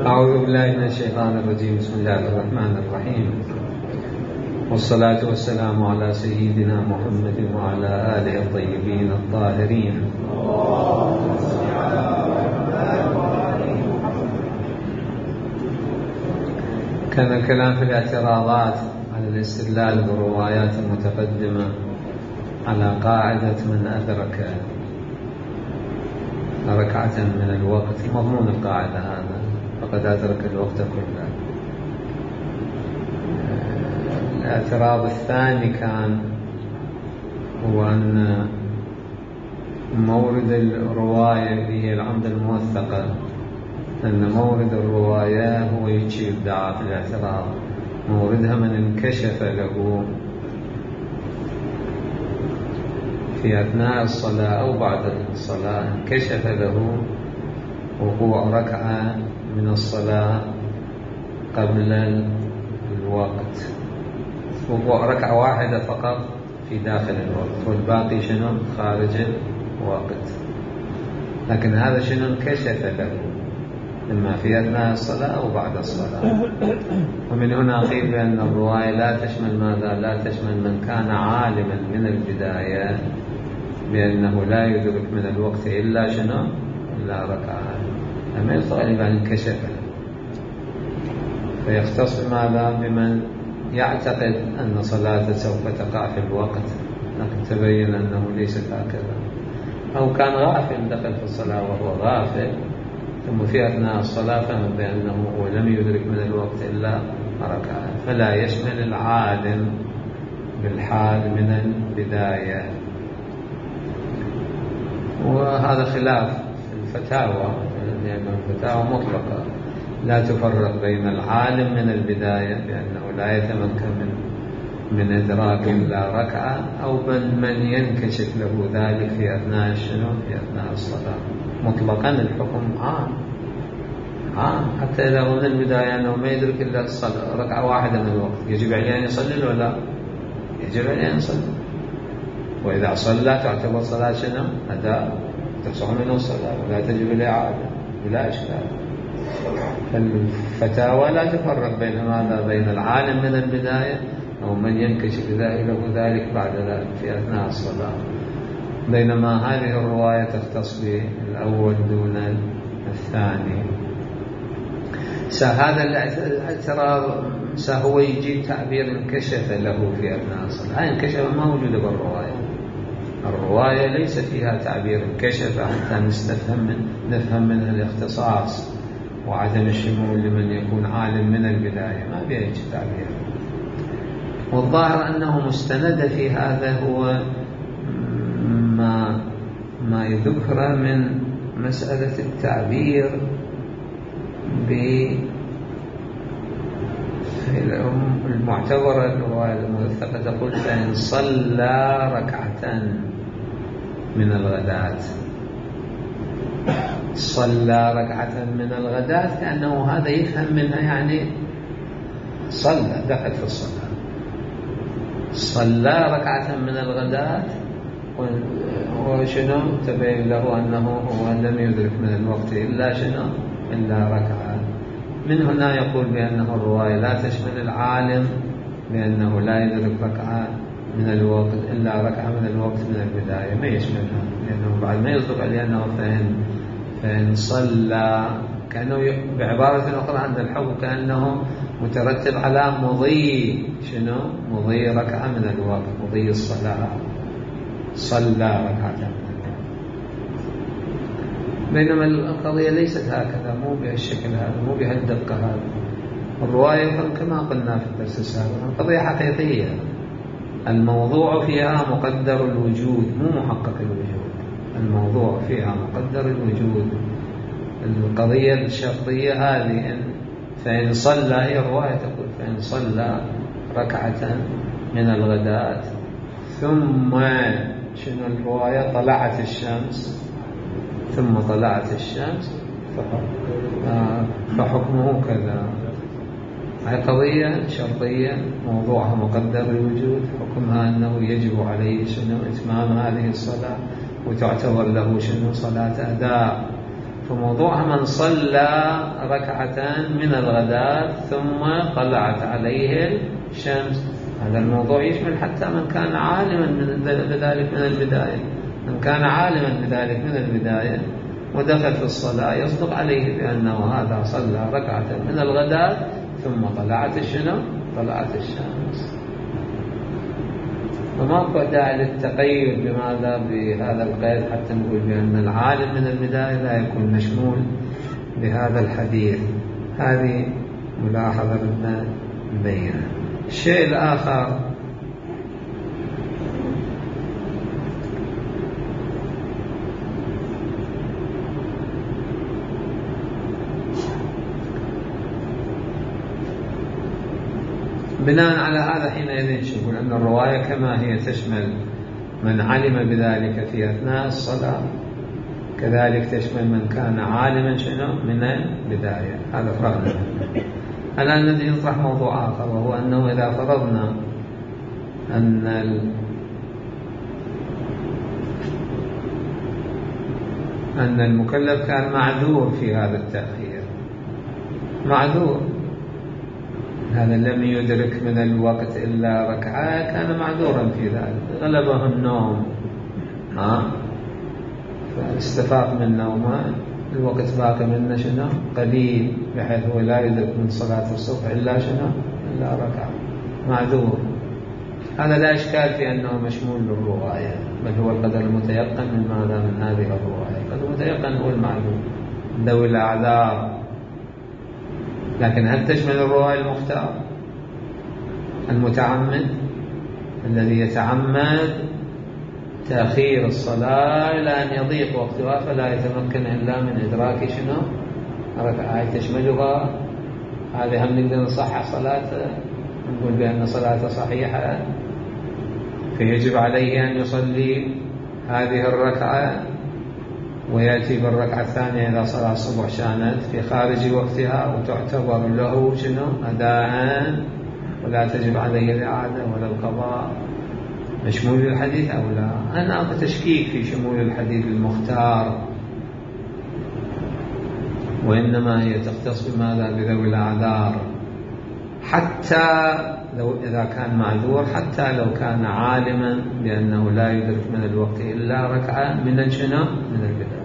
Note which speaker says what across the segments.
Speaker 1: أعوذ بالله من الشيطان الرجيم. بسم الله الرحمن الرحيم، والصلاة والسلام على سيدنا محمد وعلى آله الطيبين الطاهرين. كان الكلام في الاعتراضات على الاستدلال بالروايات المتقدمة على قاعدة من أدرك ركعة من الوقت، مضمون القاعدة هذا فقد أدرك الوقت كله. الاعتراض الثاني كان هو أن مورد الرواية اللي هي العمدة الموثقة، أن مورد الرواية هو يجي إبداع في الاعتراض، موردها من انكشف له في أثناء الصلاة أو بعد الصلاة، انكشف له وقوع ركعة من الصلاة قبل الوقت، وقوع ركعة واحدة فقط في داخل الوقت والباقي شنو خارج الوقت. لكن هذا شنو انكشف له إما في أثناء الصلاة أو بعد الصلاة. ومن هنا قيل بأن الرواية لا تشمل ماذا؟ لا تشمل من كان عالما من البداية بأنه لا يدرك من الوقت إلا شنو؟ إلا ركعة، أما الغالب عن انكشف له، فيختص بماذا؟ بمن يعتقد أن صلاته سوف تقع في الوقت لكن تبين أنه ليست هكذا، أو كان غافل دخل في الصلاة وهو غافل ثم في أثناء الصلاة فهم بأنه هو لم يدرك من الوقت إلا ركعة، فلا يشمل العالم بالحال من البداية. وهذا خلاف الفتاوى، لأن الفتاوى مطلقة لا تفرق بين العالم من البداية بأنه لا يتمكن من إدراك إلا ركعة، أو من ينكشف له ذلك في أثناء شنو؟ في أثناء الصلاة. مطلقا الحكم عام حتى إذا هو من البداية أنه ما يدرك إلا الصلاة ركعة واحدة من الوقت، يجب عليه أن يصلي ولا يجب عليه أن يصلي، وإذا صلى تعتبر صلاة شنو؟ أداء، تصح منه الصلاة ولا تجب الإعادة بلا إشكال. فالفتاوى لا تفرق بين ماذا؟ بين العالم من البداية أو من ينكشف له ذلك بعد ذلك في أثناء الصلاة، بينما هذه الرواية تختص بالأول دون الثاني. هذا الاعتراض هو يجيب تعبير انكشف له في أثناء الصلاة، انكشف ما موجودة بالرواية، الرواية ليس فيها تعبير انكشف حتى نفهم منها الاختصاص وعدم الشمول لمن يكون عالم من البداية، ما فيها تعبير. والظاهر أنه مستند في هذا هو ما يذكر من مسألة التعبير بالمعتبرة الرواية الموثقة تقول فإن صلى ركعة من الغداة، صلى ركعة من الغداة كأنه هذا يفهم منها يعني صلى دخل في الصلاة، صلى ركعة من الغداة وشنو تبين له أنه هو لم يدرك من الوقت إلا شنو؟ إلا ركعة. من هنا يقول بأنه الرواية لا تشمل العالم بأنه لا يدرك ركعة من الوقت إلا ركعة من الوقت من البداية، ما يشملها، لأنه بعد ما يصدق عليه أنه فإن صلى، كأنه بعبارة أخرى عند الحكم كأنه مترتب على مضي شنو؟ مضي ركعة من الوقت، مضي الصلاة، صلى ركعة. بينما القضية ليست هكذا، مو بهالشكل هذا، مو بهالدقة هذا. الرواية كما قلنا في الدرس السابق القضية حقيقية، الموضوع فيها مقدر الوجود مو محقق الوجود، الموضوع فيها مقدر الوجود. القضية الشرطية هذه فإن صلى، هي الرواية تقول فإن صلى ركعة من الغداة ثم شنو الرواية؟ طلعت الشمس، ثم طلعت الشمس فحكمه كذا. هذه قضية شرطية موضوعها مقدر الوجود، حكمها أنه يجب عليه شنو؟ إتمام هذه الصلاة وتعتبر له شنو؟ صلاة أداء. فموضوعها من صلى ركعة من الغداة ثم طلعت عليه الشمس. هذا الموضوع يشمل حتى من كان عالما بذلك من البداية. من كان عالما بذلك من البداية ودخل في الصلاة يصدق عليه بأنه هذا صلى ركعة من الغداة ثم طلعت الشمس. وما داعي للتقيد بماذا بهذا القيد حتى نقول بأن العالم من البداية لا يكون مشمول بهذا الحديث. هذه ملاحظة بدنا نبينها. الشيء الآخر بناء على هذا حينئذ نقول أن الرواية كما هي تشمل من علم بذلك في أثناء الصلاة كذلك تشمل من كان عالما من البداية. هذا فرقنا. الآن نبدأ نطرح موضوع آخر، وهو أنه إذا فرضنا أن المكلف كان معذور في هذا التأخير، معذور، هذا لم يدرك من الوقت إلا ركعة، كان معذورا في ذلك، غلبه النوم فاستفاق من نومه، الوقت باقي منه قليل بحيث هو لا يدرك من صلاة الصبح إلا إلا ركعة، معذور. هذا لا إشكال في أنه مشمول للرواية، بل هو القدر المتيقن من ماذا من هذه الرواية. القدر المتيقن هو المعلوم ذوي الأعذار. لكن هل تشمل الرواية المختار المتعمد الذي يتعمد تأخير الصلاة إلى أن يضيق وقتها فلا يتمكن إلا من إدراك ركعة تشملها؟ هذه هم نقدر نصحح صلاته، نقول بأن صلاته صحيحة، فيجب عليه أن يصلي هذه الركعة ويأتي بالركعة الثانية إذا صلاة الصبح كانت في خارج وقتها وتعتبر له أداء ولا تجب عليه الإعادة ولا القضاء. مشمول الحديث أو لا؟ أنا أبغى تشكيك في شمول الحديث المختار، وإنما هي تختص بماذا بذوي الأعذار، حتى لو إذا كان معذور، حتى لو كان عالما بأنه لا يدرك من الوقت إلا ركعة من البداية.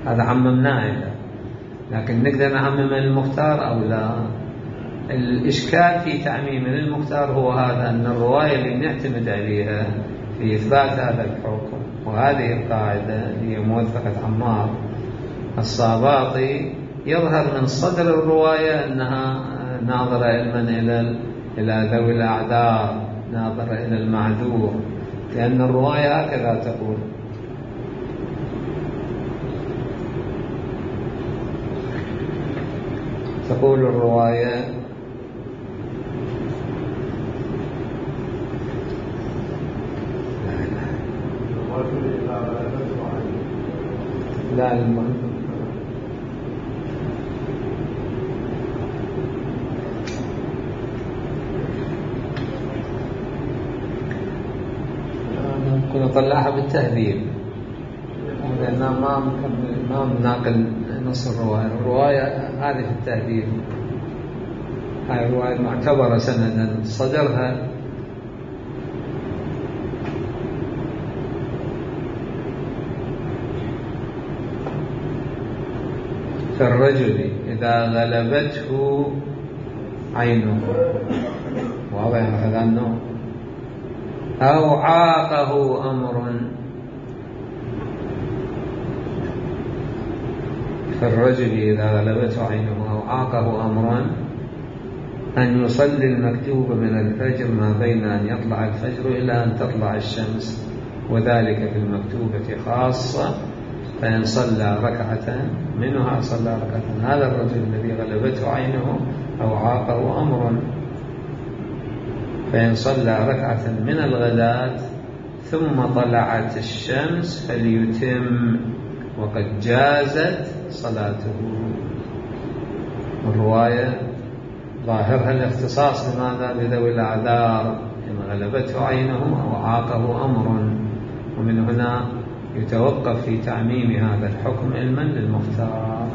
Speaker 1: هذا عممناه إذا، لكن نقدر نعمم المختار أو لا؟ الإشكال في تعميم المختار هو هذا، أن الرواية اللي نعتمد عليها في إثبات هذا الحكم وهذه القاعدة هي موثقة عمار الصاباطي، يظهر من صدر الرواية أنها ناظرة إلى ذوي الأعذار، ناظرة إلى المعذور، لأن الرواية هكذا تقول الرواية: لا ممكن نطلعها بالتهذيب، لأننا ما بناقل نص الرواية هذه في التهذيب. هاي الرواية معتبرة سندا، صدرها كالرجل إذا غلبته عينه، واضح هذا النوع، أو عاقه أمر، كالرجل إذا غلبته عينه أو عاقه أمر أن يصلي المكتوب من الفجر ما بين أن يطلع الفجر إلى أن تطلع الشمس، وذلك في المكتوبة خاصة، فإن صلى ركعة منها صلى ركعة. هذا الرجل الذي غلبته عينه أو عاقه أمر، فإن صلى ركعة من الغداة ثم طلعت الشمس فليتم وقد جازت صلاته. الرواية ظاهرها الاختصاص بماذا بذوي الأعذار، إن غلبته عينه أو عاقه أمر، ومن هنا يتوقف في تعميم هذا الحكم علما للمختار،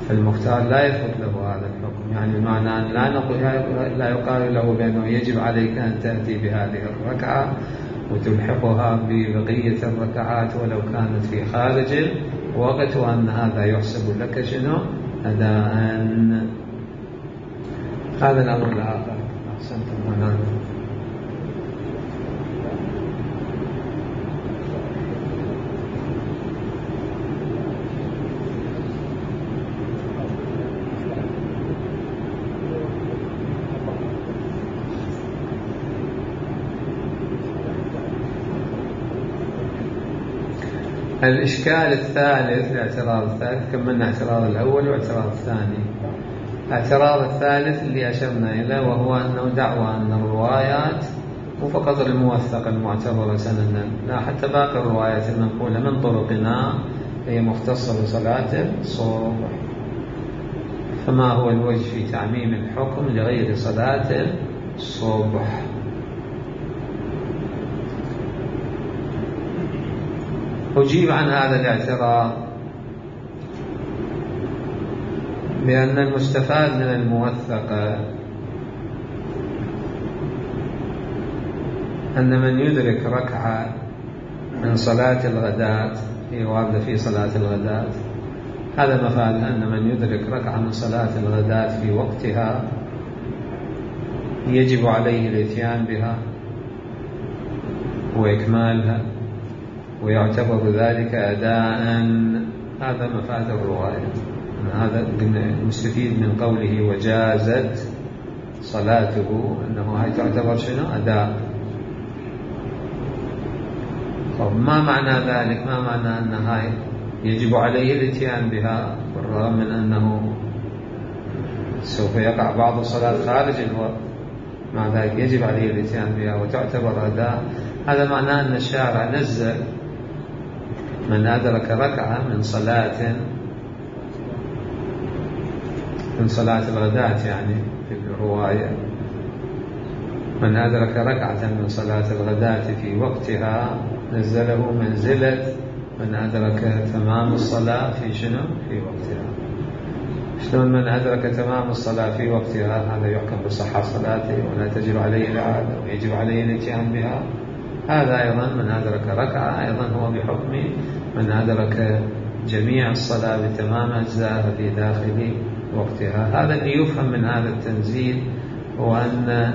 Speaker 1: فالمختار لا يثبت له هذا الحكم. يعني المعنى أن لا يقال له بأنه يجب عليك أن تأتي بهذه الركعة وتلحقها ببقية الركعات ولو كانت في خارج الوقت، وأن هذا يحسب لك شنو؟ أداء. هذا الأمر الآخر. أحسنتم. هنا الإشكال الثالث، الاعتراض الثالث، كملنا اعتراض الأول واعتراض الثاني. الاعتراض الثالث اللي أشرنا إليه وهو أنه دعوى أن الروايات مو فقط الموثقة المعتبرة سندا، لا حتى باقي الروايات المنقولة من طرقنا هي مختصة بصلاة الصبح. فما هو الوجه في تعميم الحكم لغير صلاة الصبح؟ أجيب عن هذا الاعتراض بأن المستفاد من الموثقة أن من يدرك ركعة من صلاة الغداة، هي واردة في صلاة الغداة، هذا مفاد أن من يدرك ركعة من صلاة الغداة في وقتها يجب عليه الاتيان بها وإكمالها ويعتبر ذلك أداء. هذا مفاد الرواية. هذا مستفيد من قوله وجازت صلاته، أنه هاي تعتبر شنو؟ أداء. طب ما معنى ذلك؟ ما معنى أن هاي يجب عليه الاتيان بها بالرغم من أنه سوف يقع بعض الصلاة خارج الوقت، مع ذلك يجب عليه الاتيان بها وتعتبر أداء؟ هذا معناه أن الشارع نزل من أدرك ركعة من صلاة الغداة، يعني في الرواية من أدرك ركعة من صلاة الغداة في وقتها نزله منزلة من أدرك تمام الصلاة في شنو؟ في وقتها. شلون من أدرك تمام الصلاة في وقتها هذا يحكم بصحة صلاته ولا تجب عليه الإعادة ويجب عليه الاتيان بها؟ هذا أيضا من أدرك ركعة أيضا هو بحكم من أدرك جميع الصلاة بتمام أجزائها في داخل وقتها. هذا اللي يفهم من هذا التنزيل، هو أن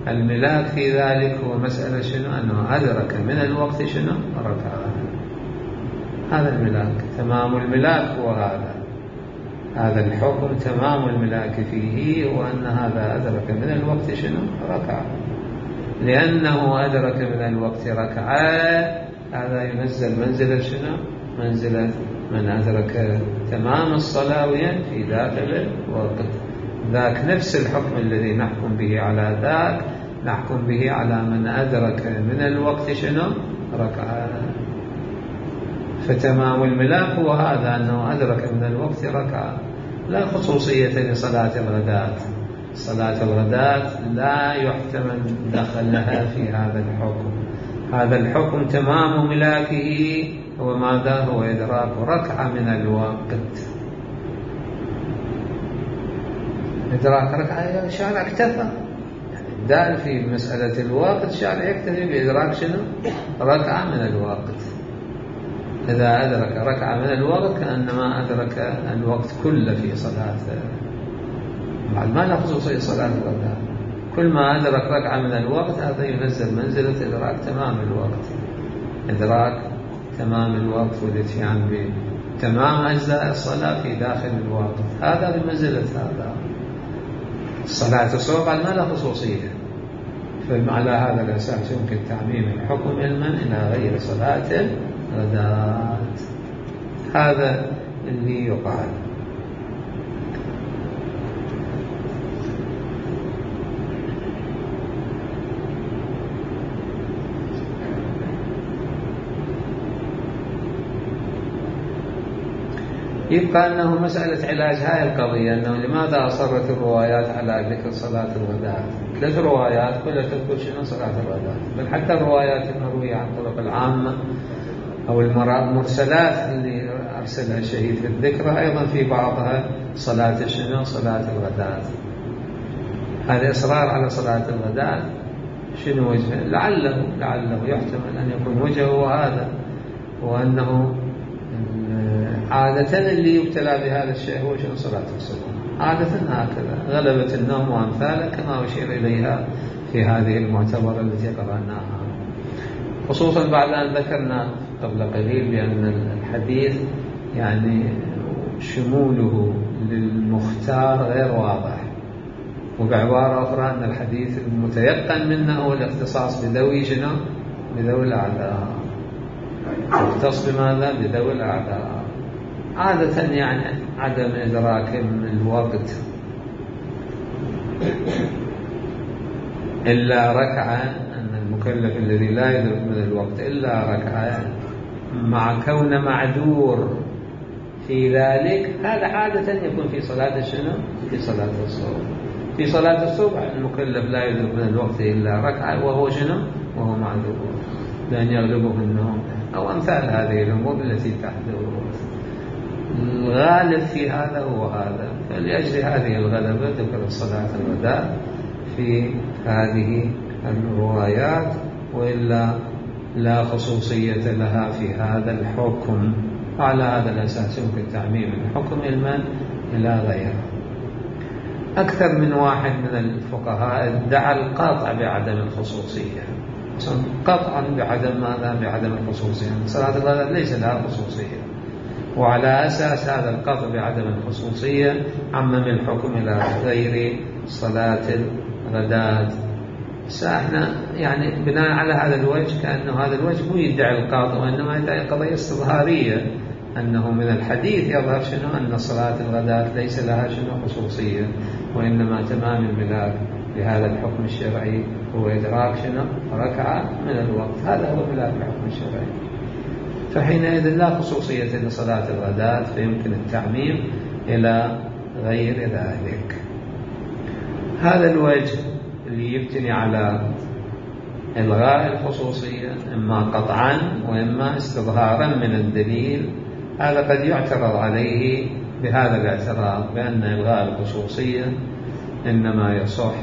Speaker 1: الملاك في ذلك هو مسألة شنو؟ أنه أدرك من الوقت شنو؟ ركعة. هذا الملاك، تمام الملاك هو هذا الحكم، تمام الملاك فيه هو أن هذا أدرك من الوقت شنو؟ ركعة. لأنه أدرك من الوقت ركعة هذا ينزل منزلة شنو؟ منزلة من أدرك تمام الصلاة في داخل الوقت. ذاك نفس الحكم الذي نحكم به على ذاك نحكم به على من أدرك من الوقت شنو؟ ركعة. فتمام الملاك هو هذا، أنه أدرك من الوقت ركعة. لا خصوصية لصلاة الغداة. صلاة الغداة لا يحتمل دخلها في هذا الحكم. هذا الحكم تمام ملاكه هو ماذا؟ هو إدراك ركعة من الوقت. إدراك ركعة الشارع اكتفى، دال في مسألة الوقت الشارع يكتفي بإدراك شنو؟ ركعة من الوقت. إذا أدرك ركعة من الوقت كأنما أدرك الوقت كله في صلاته. بعد ما نخصوص صلاة الغداء، كل ما أدرك ركعة من الوقت هذا ينزل منزلة إدراك تمام الوقت، إدراك تمام الوقت والاتيان بتمام أجزاء الصلاة في داخل الوقت. هذا بمنزلة هذا. الصلاة الصبح ما لها خصوصية، فعلى هذا الأساس يمكن تعميم الحكم علما إلى غير صلاة الغداء. هذا اللي يقال. يبقى أنه مسألة علاج هاي القضية، أنه لماذا أصرت الروايات على ذكر صلاة الغداء؟ 3 روايات كلها تذكر شنو؟ صلاة الغداء. بل حتى الروايات المروية عن طرق العامة أو المرسلات اللي أرسلها الشهيد في الذكرى أيضا في بعضها صلاة شنو؟ صلاة الغداة. هذا إصرار على صلاة الغداة شنو وجهه؟ لعله يحتمل أن يكون وجهه هذا، وأنه عادة اللي يبتلى بهذا الشيء هو شنو؟ صلاة الصبح. عادة هكذا، غلبة النوم وأمثاله كما أشير إليها في هذه المعتبرة التي قرأناها، خصوصا بعد أن ذكرنا قبل قليل بأن الحديث يعني شموله للمختار غير واضح، وبعبارة أخرى أن الحديث المتيقن منه هو الاختصاص بذوي شنو؟ بذوي الأعذار. يختص بماذا؟ بذوي الأعذار. عادة يعني عدم إدراك الوقت إلا ركعة، أن المكلف الذي لا يدرك من الوقت إلا ركعة مع كون معذور في ذلك، هذا عادة يكون في صلاة شنو؟ في صلاة الصبح. في صلاة الصبح المكلف لا يدرك من الوقت إلا ركعة وهو شنو؟ وهو معذور، لأن يغلبه النوم أو أمثال هذه الأمور التي تحدث. الغالب في هذا هو هذا، فلأجل هذه الغلبة ذكر صلاة الغداء في هذه الروايات، وإلا لا خصوصية لها في هذا الحكم. على هذا الأساس يمكن تعميم الحكم إلى غيره. أكثر من واحد من الفقهاء ادعى القطع بعدم الخصوصية، قطعا بعدم ماذا؟ بعدم الخصوصية. صلاة الغداء ليس لها خصوصية، وعلى أساس هذا القطع بعدم الخصوصية عمم الحكم إلى غير صلاة الغداة. ساحنا يعني بناء على هذا الوجه كأنه هذا الوجه مو يدعي القاطع، وإنما يدعي قضية استظهارية، أنه من الحديث يظهر شنو؟ أن صلاة الغداة ليس لها شنو؟ خصوصية، وإنما تمام الملاك لهذا الحكم الشرعي هو إدراك شنو؟ ركعة من الوقت. هذا هو ملاك الحكم الشرعي، فحينئذ لا خصوصية لصلاة الغداة، فيمكن التعميم إلى غير ذلك. هذا الوجه اللي يبتني على إلغاء الخصوصية إما قطعا وإما استظهارا من الدليل، هذا قد يعترض عليه بهذا الاعتراض بأن إلغاء الخصوصية إنما يصح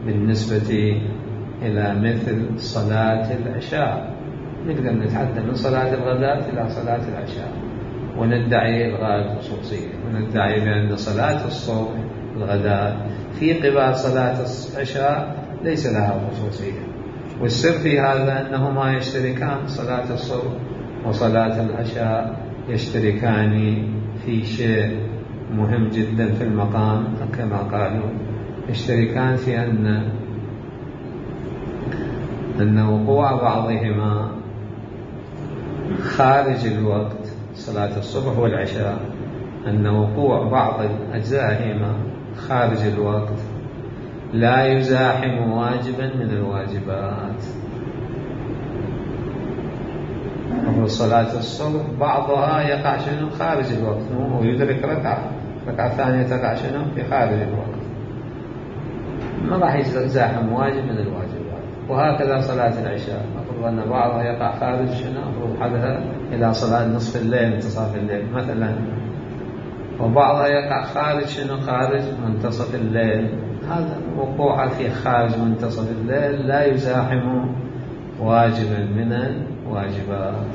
Speaker 1: بالنسبة إلى مثل صلاة العشاء. نقدر نتحدث من صلاة الغداة إلى صلاة العشاء وندعي إلغاء الخصوصية، وندعي بأن صلاة الصبح الغداء في قبال صلاة العشاء ليس لها خصوصية. والسر في هذا أنهما يشتركان، صلاة الصبح وصلاة العشاء يشتركان في شيء مهم جدا في المقام، كما قالوا يشتركان في أن وقوع بعضهما خارج الوقت، صلاة الصبح والعشاء، أن وقوع بعض أجزائهما خارج الوقت لا يزاحم واجبا من الواجبات. صلاة الصبح بعضها يقع شنو؟ خارج الوقت، ويدرك ركعة ثانية تقع شنو؟ في خارج الوقت، ما راح يزاحم واجب من الواجبات. وهكذا صلاة العشاء، أفرض أن بعضها يقع خارج شنو؟ أفرض حدها إلى صلاة نصف الليل انتصاف الليل مثلا، وبعضها يقع خارج شنو؟ خارج منتصف الليل. هذا وقوع في خارج منتصف الليل لا يزاحم واجبا من الواجبات.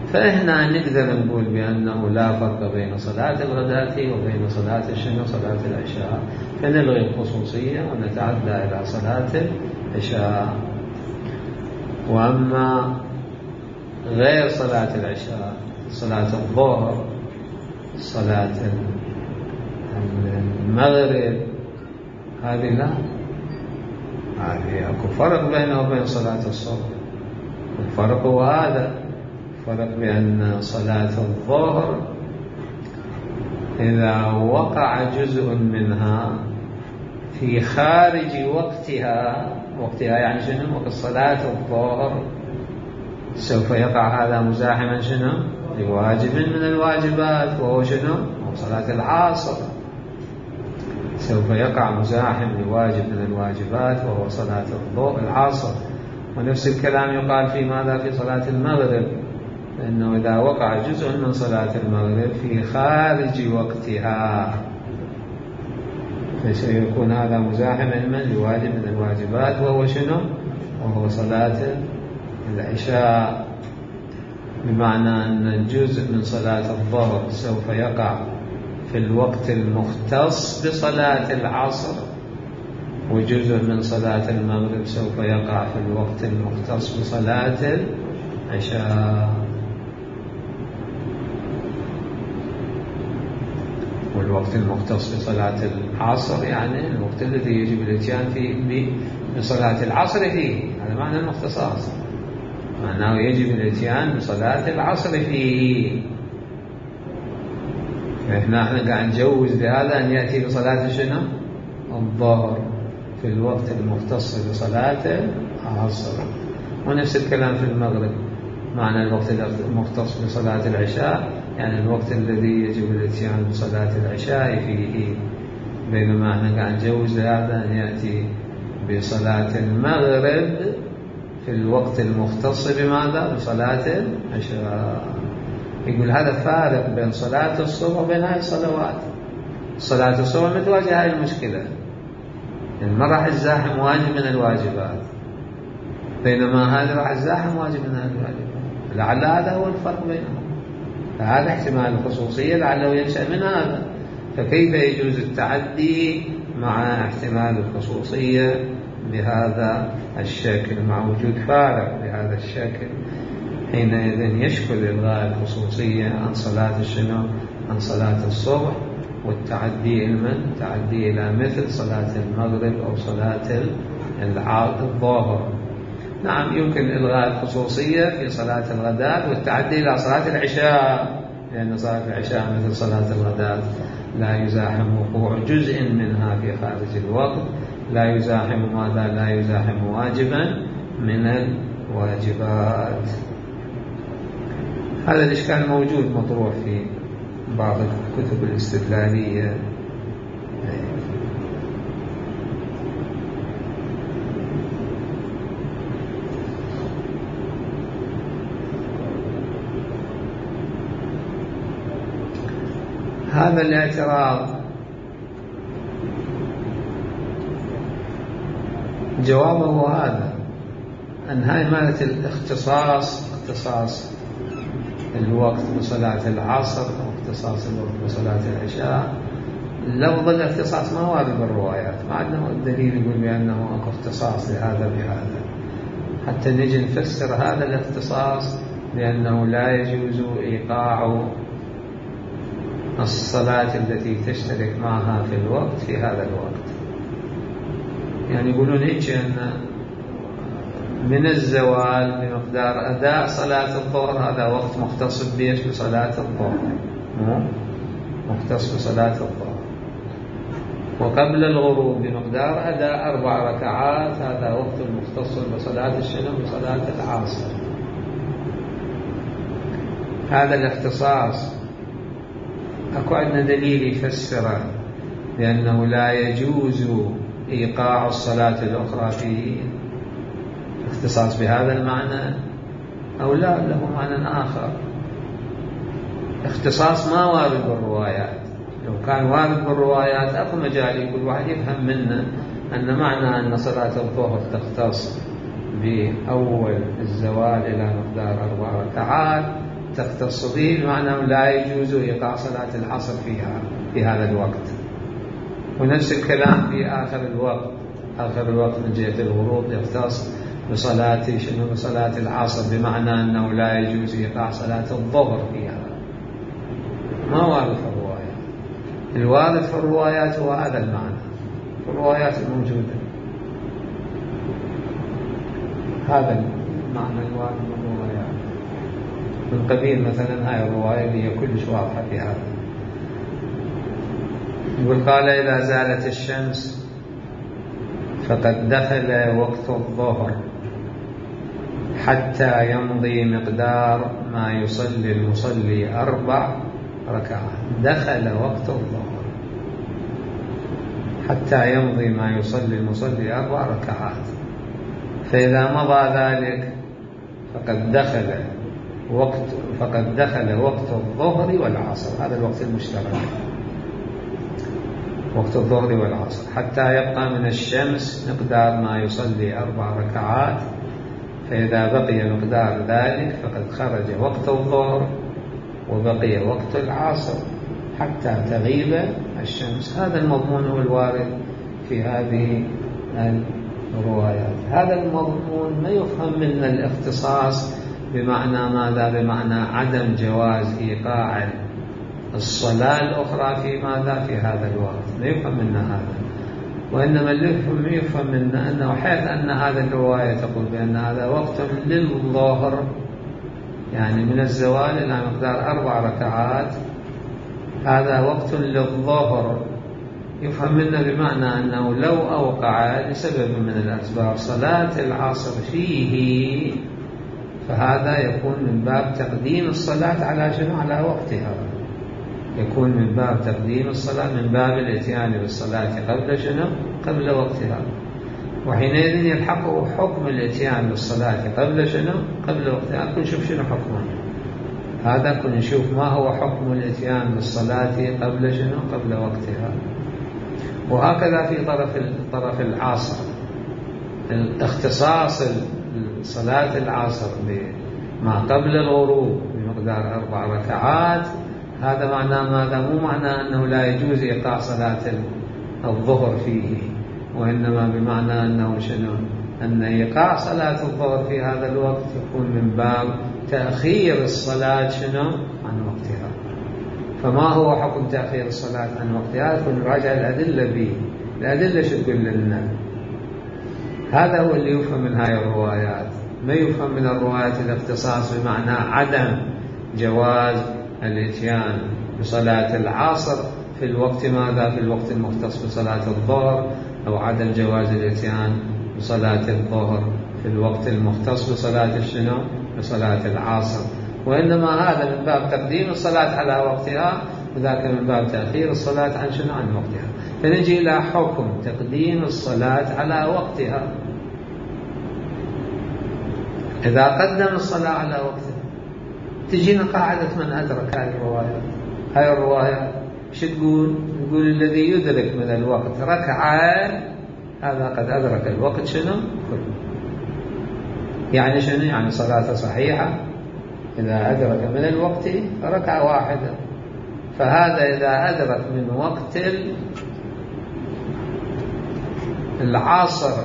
Speaker 1: فإحنا نقدر نقول بأنه لا فرق بين صلاة الغداة وبين صلاة شنو؟ صلاة العشاء، فنلغي الخصوصية ونتعدى إلى صلاة العشاء. وأما غير صلاة العشاء، صلاة الظهر، صلاة المغرب، هذه لا، هذه أكو فرق بينه وبين صلاة الصبح. الفرق هو هذا، فرق بأن صلاة الظهر إذا وقع جزء منها في خارج وقتها يعني شنو؟ وقت صلاة الظهر سوف يقع هذا مزاحما شنو؟ لواجب من الواجبات، وهو شنو؟ صلاة العصر سوف يقع مزاحم لواجب من الواجبات وهو صلاة العصر. ونفس الكلام يقال في ماذا؟ في صلاة المغرب، لأنه إذا وقع جزء من صلاة المغرب في خارج وقتها فسيكون هذا مزاحما لواجب من الواجبات، وهو شنو؟ وهو صلاة العشاء، بمعنى أن جزء من صلاة الظهر سوف يقع في الوقت المختص بصلاة العصر، وجزء من صلاة المغرب سوف يقع في الوقت المختص بصلاة العشاء. والوقت المختص بصلاة العصر يعني الوقت الذي يجب الاتيان فيه بصلاة العصر فيه، هذا معنى المختصاص، معناه يجب الاتيان بصلاة العصر فيه. احنا قاعد نجوز بهذا أن يأتي بصلاة شنو؟ الظهر في الوقت المختص بصلاة العصر. ونفس الكلام في المغرب، معنى الوقت المختص بصلاة العشاء يعني الوقت الذي يجب الاتيان بصلاة العشاء فيه، بينما احنا قاعد نجوز هذا أن يأتي بصلاة المغرب في الوقت المختص بماذا؟ بصلاة العشاء. يقول هذا فارق بين صلاة الصبح وبين هذه الصلوات. صلاة الصبح متواجهة هذه المشكلة، ما راح تزاحم واجب من الواجبات، بينما هذا راح تزاحم واجب من الواجبات. لعل هذا هو الفرق بينهم، فهذا احتمال الخصوصية لعله ينشأ من هذا. فكيف يجوز التعدي مع احتمال الخصوصية بهذا الشكل، مع وجود فارق بهذا الشكل؟ حينئذ يشكل إلغاء الخصوصية عن صلاة الشنو؟ عن صلاة الصبح، والتعدي تعدي إلى مثل صلاة المغرب أو صلاة الظهر. نعم يمكن إلغاء الخصوصية في صلاة الغداء والتعدي إلى صلاة العشاء، لأن صلاة العشاء مثل صلاة الغداء لا يزاحم وقوع جزء منها في خارج الوقت، لا يزاحم ماذا؟ لا يزاحم واجبا من الواجبات. هذا الإشكال موجود مطروح في بعض الكتب الاستدلالية. هذا الاعتراض جوابه هذا، أن هاي مالة الاختصاص، اختصاص الوقت بصلاة العصر أو اختصاص الوقت بصلاة العشاء، لفظ الاختصاص ما وارد بالروايات، ما عندنا الدليل يقول بأنه أكو اختصاص لهذا بهذا، حتى نجي نفسر هذا الاختصاص لأنه لا يجوز إيقاع الصلاة التي تشترك معها في الوقت في هذا الوقت. يعني يقولون هيك أن من الزوال بمقدار أداء صلاة الظهر، هذا وقت مختص بيش بصلاة الظهر، مختص بصلاة الظهر. وقبل الغروب بمقدار أداء 4 ركعات، هذا وقت مختص بصلاة الشنو؟ بصلاة العصر. هذا الاختصاص أكو عندنا دليل يفسره لأنه لا يجوز إيقاع الصلاة الأخرى فيه، اختصاص بهذا المعنى أو لا له معنى آخر؟ اختصاص ما وارد بالروايات، لو كان وارد بالروايات أكو مجال كل واحد يفهم منه أن معنى أن صلاة الظهر تختص بأول الزوال إلى مقدار 4 ركعات تختص به، بمعنى لا يجوز إيقاع صلاة العصر فيها في هذا الوقت. ونفس الكلام في آخر الوقت، آخر الوقت من جهة الغروب يختص بصلاة شنو؟ بصلاة العصر، بمعنى أنه لا يجوز إيقاع صلاة الظهر فيها. ما وارد في الروايات، الوارد في الروايات هو هذا المعنى، في الروايات الموجودة هذا المعنى الوارد في الروايات. من قبيل مثلا هاي الرواية هي كلش واضحة في هذا. يقول قال إذا زالت الشمس فقد دخل وقت الظهر حتى يمضي مقدار ما يصلي المصلي 4 ركعات. دخل وقت الظهر حتى يمضي ما يصلي المصلي 4 ركعات، فإذا مضى ذلك فقد دخل فقد دخل وقت الظهر والعصر، هذا الوقت المشترك، وقت الظهر والعصر، حتى يبقى من الشمس مقدار ما يصلي 4 ركعات، فإذا بقي مقدار ذلك فقد خرج وقت الظهر وبقي وقت العصر حتى تغيب الشمس. هذا المضمون هو الوارد في هذه الروايات. هذا المضمون ما يفهم منه الاختصاص بمعنى ماذا؟ بمعنى عدم جواز إيقاع الصلاة الأخرى في ماذا؟ في هذا الوقت، لا يفهم منا هذا. وإنما اللي يفهم منا أنه حيث أن هذه الرواية تقول بأن هذا وقت للظهر، يعني من الزوال إلى مقدار 4 ركعات، هذا وقت للظهر، يفهم منا بمعنى أنه لو أوقع لسبب من الأسباب صلاة العصر فيه فهذا يكون من باب تقديم الصلاة على شنو؟ على وقتها، يكون من باب تقديم الصلاة، من باب الاتيان بالصلاة قبل شنو؟ قبل وقتها، وحينئذ يلحقه حكم الاتيان بالصلاة قبل شنو؟ قبل وقتها. كن نشوف شنو حكمه هذا، كن نشوف ما هو حكم الاتيان بالصلاة قبل شنو؟ قبل وقتها. وهكذا في طرف العصر، اختصاص صلاة العصر بما قبل الغروب بمقدار 4 ركعات، هذا معناه ماذا؟ مو معناه أنه لا يجوز إيقاع صلاة الظهر فيه، وإنما بمعنى أنه شنو؟ أن إيقاع صلاة الظهر في هذا الوقت يكون من باب تأخير الصلاة شنو؟ عن وقتها. فما هو حكم تأخير الصلاة عن وقتها؟ يكون نراجع الأدلة به، الأدلة شو تقول لنا؟ هذا هو اللي يفهم من هاي الروايات. ما يفهم من الروايات الاختصاص بمعنى عدم جواز الاتيان بصلاة العصر في الوقت ماذا؟ في الوقت المختص بصلاة الظهر، أو عدم جواز الاتيان بصلاة الظهر في الوقت المختص بصلاة الشنو؟ بصلاة العصر، وإنما هذا من باب تقديم الصلاة على وقتها، وذاك من باب تأخير الصلاة عن شنو؟ عن وقتها. فنجي إلى حكم تقديم الصلاة على وقتها. إذا قدم الصلاة على وقتها تجينا قاعدة من أدرك هذه الروايات. هذه الروايات شو تقول؟ تقول الذي يدرك من الوقت ركعة هذا قد أدرك الوقت شنو؟ كله. يعني شنو؟ يعني صلاة صحيحة إذا أدرك من الوقت ركعة واحدة. فهذا إذا أدرك من وقت العصر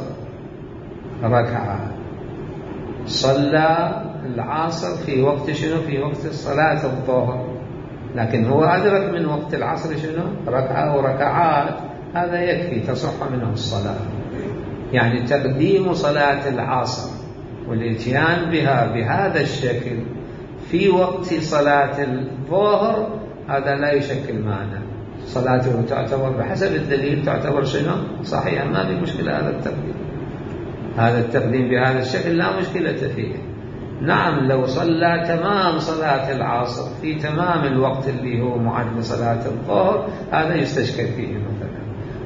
Speaker 1: ركعة، صلى العصر في وقت شنو؟ في وقت صلاة الظهر، لكن هو أدرك من وقت العصر شنو؟ ركعة أو ركعات، هذا يكفي تصح منه الصلاة. يعني تقديم صلاة العصر والاتيان بها بهذا الشكل في وقت صلاة الظهر هذا لا يشكل معنى، صلاته تعتبر بحسب الدليل تعتبر شنو؟ صحيحة، ما في مشكلة. هذا التقديم بهذا الشكل لا مشكلة فيه. نعم لو صلى تمام صلاة العصر في تمام الوقت اللي هو معد لصلاة الظهر هذا يستشكل فيه مثلا.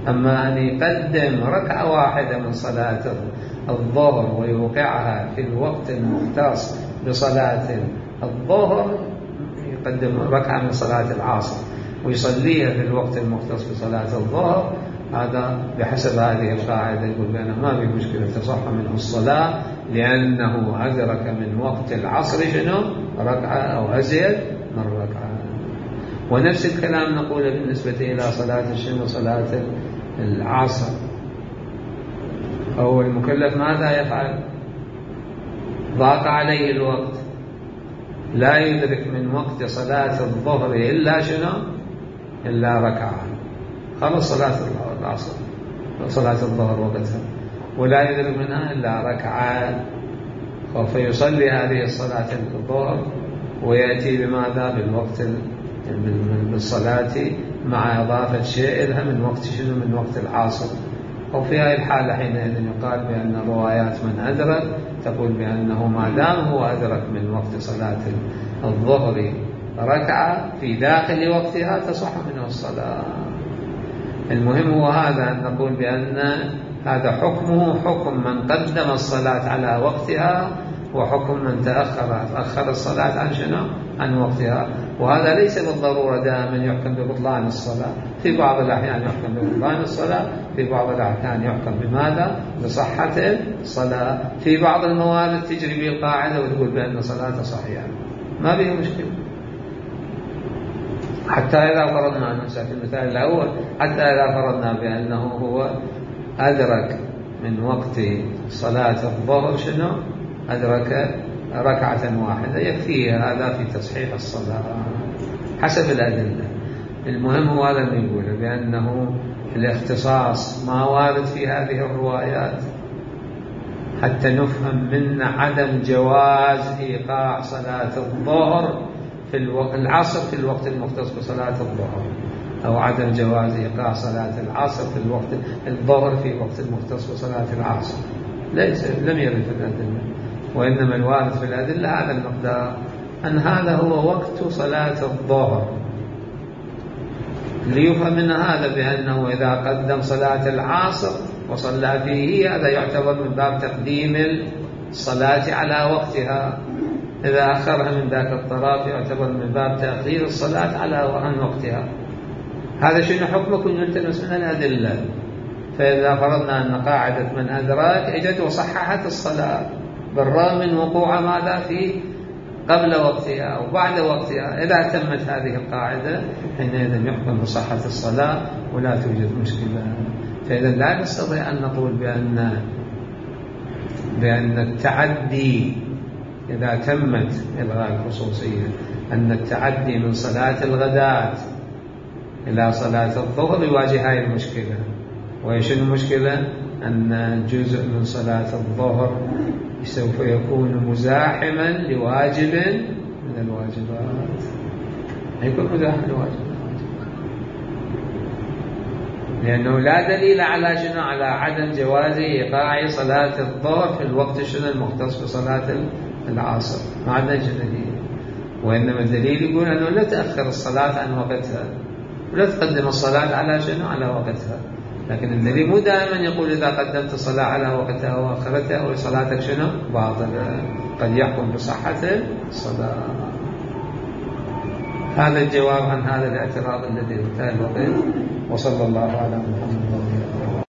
Speaker 1: أما أن يقدم ركعة واحدة من صلاة الظهر ويوقعها في الوقت المختص بصلاة الظهر، يقدم ركعة من صلاة العصر ويصليها في الوقت المختص بصلاة الظهر، هذا بحسب هذه القاعدة يقول بأنه ما في مشكلة تصح منه الصلاة، لأنه أدرك من وقت العصر شنو؟ ركعة أو أزيد من ركعة. ونفس الكلام نقوله بالنسبة إلى صلاة الشنو؟ صلاة العصر. هو المكلف ماذا يفعل؟ ضاق عليه الوقت، لا يدرك من وقت صلاة الظهر إلا شنو؟ إلا ركعة، خلص صلاة العصر صلاة الظهر وقتها، ولا يدرك منها إلا ركعة، فيصلي هذه الصلاة الظهر ويأتي بماذا؟ بالوقت بالصلاة مع إضافة شيء لها من وقت شنو؟ من وقت العصر. وفي هذه الحالة حينئذ يقال بأن روايات من أدرك تقول بأنه ما دام هو أدرك من وقت صلاة الظهر ركعة في داخل وقتها تصح منه الصلاة. المهم هو هذا، أن نقول بأن هذا حكمه حكم من قدم الصلاة على وقتها، وحكم من تأخر الصلاة عن شنو؟ عن وقتها. وهذا ليس بالضرورة دائما يحكم ببطلان الصلاة، في بعض الأحيان يحكم ببطلان الصلاة، في بعض الأحيان يحكم بماذا؟ بصحة الصلاة. في بعض الموارد تجري به القاعدة وتقول بأن صلاته صحيحة، ما بها مشكلة. حتى إذا فرضنا في المثال الأول، حتى إذا فرضنا بأنه هو أدرك من وقت صلاة الظهر شنو؟ أدرك ركعة واحدة، يكفيه هذا في تصحيح الصلاة حسب الأدلة. المهم هو هذا اللي يقوله، بأنه الاختصاص ما وارد في هذه الروايات حتى نفهم من عدم جواز إيقاع صلاة الظهر في العصر في الوقت المختص بصلاة الظهر، أو عدم جواز إيقاع صلاة العصر في الظهر في وقت المختص بصلاة العصر. لم يرد في الأدلة، وإنما الوارد في الأدلة هذا المقدار، أن هذا هو وقت صلاة الظهر، ليفهم من هذا بأنه إذا قدم صلاة العصر وصلى فيه هذا يعتبر من باب تقديم الصلاة على وقتها، إذا أخرها من ذاك الطرف يعتبر من باب تأخير الصلاة عن وقتها. هذا شنو حكمه؟ كن يلتمس من الأدلة. فإذا فرضنا أن قاعدة من أدراك اجت وصححت الصلاة بالرغم من وقوع ماذا في قبل وقتها أو بعد وقتها، إذا تمت هذه القاعدة حينئذ يحكم بصحة الصلاة ولا توجد مشكلة. فإذا لا نستطيع أن نقول بأن التعدي إذا تمت إلغاء الخصوصية، أن التعدي من صلاة الغداة إلى صلاة الظهر يواجه هذه المشكلة. وإيش المشكلة؟ أن جزء من صلاة الظهر سوف يكون مزاحما لواجب من الواجبات، يكون مزاحم لواجب، لأنه لا دليل على شنو؟ على عدم جواز إيقاع صلاة الظهر في الوقت شنو المختص بصلاة العصر، ما عندنا دليل. وإنما الدليل يقول أنه لا تأخر الصلاة عن وقتها ولا تقدم الصلاة على شنو؟ على وقتها. لكن الدليل مو دائما يقول إذا قدمت الصلاة على وقتها وأخرتها أو صلاتك شنو؟ باطلة، قد يحكم بصحة الصلاة. هذا الجواب عن هذا الاعتراض الذي انتهى الوقت. وصلى الله على محمد.